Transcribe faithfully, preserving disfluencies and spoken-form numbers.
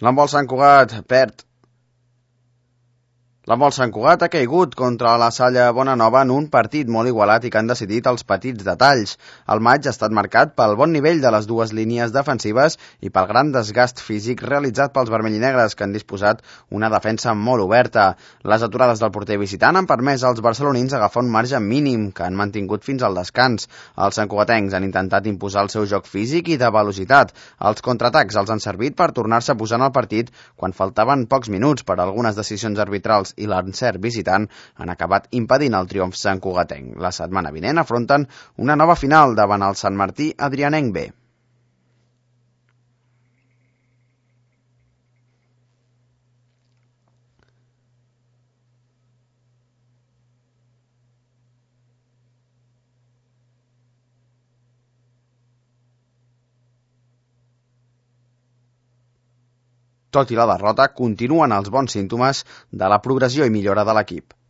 L'handbol Sant Cugat perd. L'handbol Sant Cugat ha caigut contra la Salle Bonanova en un partit molt igualat i que han decidit els petits detalls. El maig ha estat marcat pel bon nivell de les dues línies defensives i pel gran desgast físic realitzat pels vermellinegres, que han disposat una defensa molt oberta. Les aturades del porter visitant han permès als barcelonins agafar un marge mínim que han mantingut fins al descans. Els santcugatencs han intentat imposar el seu joc físic i de velocitat. Els contraatacs els han servit per tornar-se a posar en el partit quan faltaven pocs minuts, per algunes decisions arbitrals i l'encert visitant han acabat impedint el triomf santcugatenc. La setmana vinent afronten una nova final davant el Sant Martí Adrianenc B. Tot i la derrota, continuen els bons símptomes de la progressió i millora de l'equip.